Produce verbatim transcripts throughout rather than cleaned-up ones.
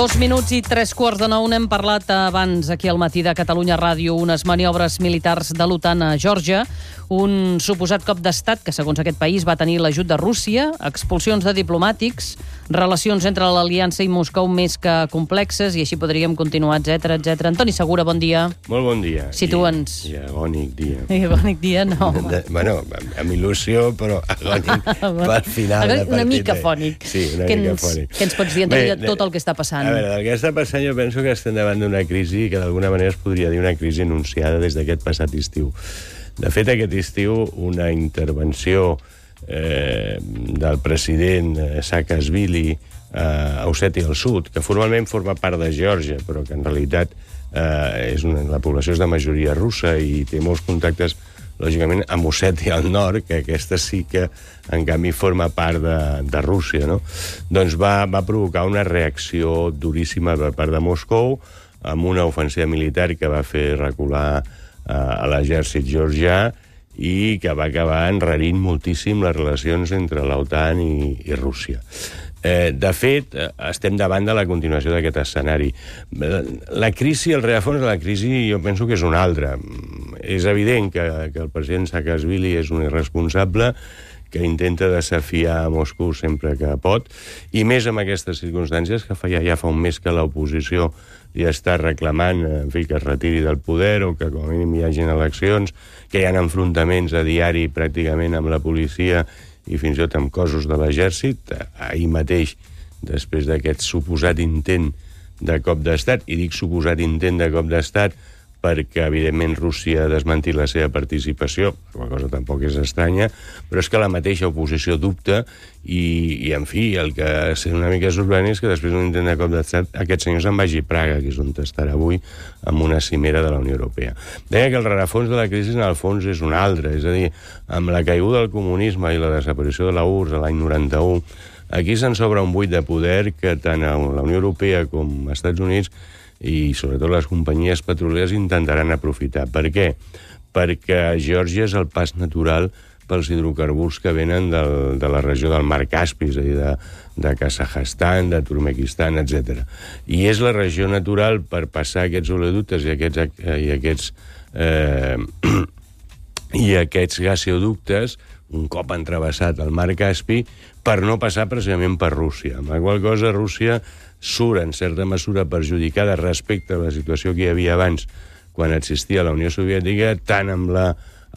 Dos minuts i tres quarts de nou. N'hem parlat abans aquí al Matí de Catalunya Ràdio, unes maniobres militars de l'OTAN a Geòrgia, un suposat cop d'estat que, segons aquest país, va tenir l'ajut de Rússia, expulsions de diplomàtics, relacions entre l'Aliança i Moscou més que complexes, i així podríem continuar, etcètera, etcètera. Antoni Segura, bon dia. Molt bon dia. Situa'ns. I, i agònic dia. I agònic dia, no. De, bueno, amb il·lusió, però agònic pel final de partit. Una mica fònic. Sí, una que mica ens, fònic. Què ens pots dir, Antoni, de tot el que està passant? A veure, del que està passant jo penso que estem davant d'una crisi que d'alguna manera es podria dir una crisi anunciada des d'aquest passat estiu. De fet, aquest estiu, una intervenció eh, del president Saakashvili a Ossètia del Sud, que formalment forma part de Geòrgia, però que en realitat eh, és una, la població és de majoria russa i té molts contactes, lògicament, amb Ossètia al nord, que aquesta sí que, en canvi, forma part de, de Rússia, no? Doncs va, va provocar una reacció duríssima per part de Moscou, amb una ofensiva militar que va fer recular eh, a l'exèrcit georgià i que va acabar enrarint moltíssim les relacions entre l'OTAN i, i Rússia. Eh, de fet, estem davant de la continuació d'aquest escenari. La crisi, el rerefons de la crisi, jo penso que és un altre. És evident que, que el president Saakashvili és un irresponsable que intenta desafiar a Moscou sempre que pot, i més amb aquestes circumstàncies que fa, ja, ja fa un mes que l'oposició li està reclamant, en fi, que es retiri del poder o que com a mínim hi hagin eleccions, que hi ha enfrontaments a diari pràcticament amb la policia i fins i tot amb cossos de l'exèrcit. Ahir mateix, després d'aquest suposat intent de cop d'estat, i dic suposat intent de cop d'estat perquè, evidentment, Rússia ha desmentit la seva participació, la cosa tampoc és estranya, però és que la mateixa oposició dubta i, i en fi, el que és una mica sorprenent és que després d'un intent de cop d'estat aquest senyor se'n vagi a Praga, que és on estarà avui, amb una cimera de la Unió Europea. Deia que el rerefons de la crisi, en el fons, és un altre, és a dir, amb la caiguda del comunisme i la desaparició de la U R S S a l'any noranta-u, aquí se'n s'obre un buit de poder que tant a la Unió Europea com als Estats Units i sobretot les companyies petrolieres intentaran aprofitar. Per què? Perquè Geòrgia és el pas natural pels hidrocarburs que venen del, de la regió del Mar Caspi, és a dir, de, de Kazakhstan, de Turkmenistan, etcètera. I és la regió natural per passar aquests oleoductes i aquests, i aquests, eh, i aquests gasoductes, un cop han travessat el Mar Caspi, per no passar precisament per Rússia. Amb la qual cosa Rússia surt, en certa mesura, perjudicada respecte a la situació que hi havia abans, quan existia la Unió Soviètica, tant amb la,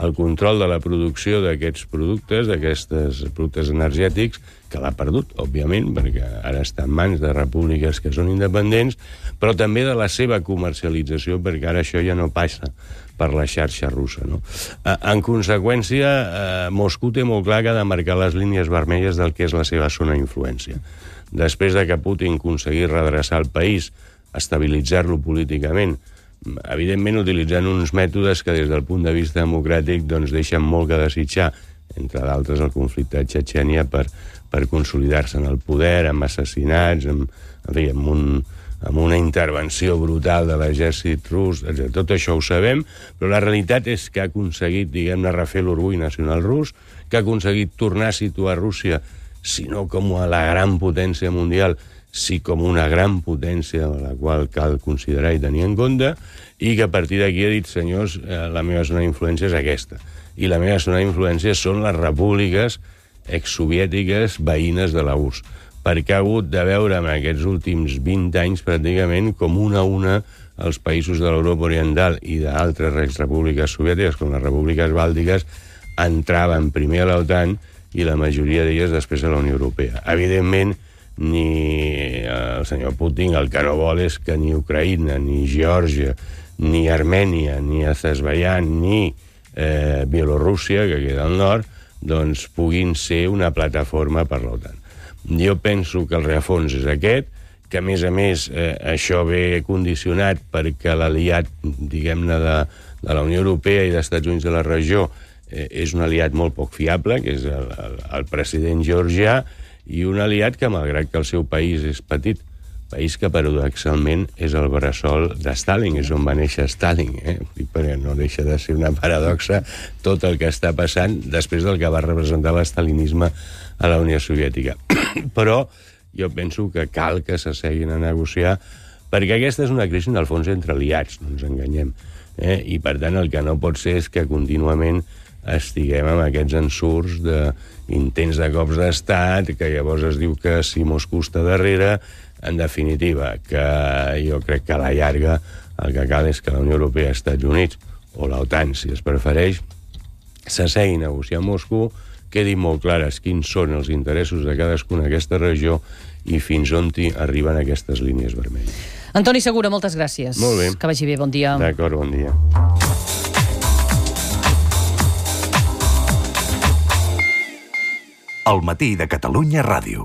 el control de la producció d'aquests productes, d'aquests productes energètics, que l'ha perdut, òbviament, perquè ara està en mans de repúbliques que són independents, però també de la seva comercialització, perquè ara això ja no passa per la xarxa russa, no? En conseqüència, Moscou té molt clar que ha de marcar les línies vermelles del que és la seva zona d'influència. Després de que Putin aconseguís redreçar el país, estabilitzar-lo políticament, evidentment utilitzant uns mètodes que des del punt de vista democràtic doncs deixen molt que desitjar, entre d'altres el conflicte de Txetxènia per, per consolidar-se en el poder, amb assassinats, amb, en fi, amb, un, amb una intervenció brutal de l'exèrcit rus, etcètera. Tot això ho sabem, però la realitat és que ha aconseguit, diguem-ne, refer l'orgull nacional rus, que ha aconseguit tornar a situar Rússia, si no com a la gran potència mundial, sí com una gran potència a la qual cal considerar i tenir en compte, i que a partir d'aquí ha dit, senyors, la meva zona d'influència és aquesta. I la meva zona d'influència són les repúbliques exsoviètiques veïnes de la U R S S, perquè ha hagut de veure en aquests últims vint anys pràcticament com una a una els països de l'Europa Oriental i d'altres exrepúbliques soviètiques, com les repúbliques bàltiques, entraven primer a l'OTAN i la majoria d'elles després a la Unió Europea. Evidentment, ni el senyor Putin el que no vol és que ni Ucraïna, ni Geòrgia, ni Armènia, ni Azerbaiyán, ni eh, Bielorússia, que queda al nord, doncs puguin ser una plataforma per l'OTAN. Jo penso que el rerefons és aquest, que a més a més eh, això ve condicionat perquè l'aliat, diguem-ne, de, de la Unió Europea i dels Estats Units de la regió eh, és un aliat molt poc fiable, que és el, el, el president georgià, i un aliat que, malgrat que el seu país és petit, país que paradoxalment és el bressol de Stalin, és on va néixer Stalin, eh? Perquè no deixa de ser una paradoxa tot el que està passant després del que va representar l'estalinisme a la Unió Soviètica. Però jo penso que cal que s'asseguin a negociar, perquè aquesta és una crisi, en el fons, entre aliats, no ens enganyem. Eh? I, per tant, el que no pot ser és que contínuament estiguem amb aquests ensurts d'intents de cops d'estat, que llavors es diu que si Moscou està darrere, en definitiva, que jo crec que a la llarga el que cal és que la Unió Europea, Estats Units, o l'OTAN, si es prefereix, s'assegui a negociar amb Moscou, quedin molt clares quins són els interessos de cadascuna d'aquesta regió i fins on arriben aquestes línies vermelles. Antoni Segura, moltes gràcies. Molt bé. Que vagi bé, bon dia. D'acord, bon dia. El matí de Catalunya Ràdio.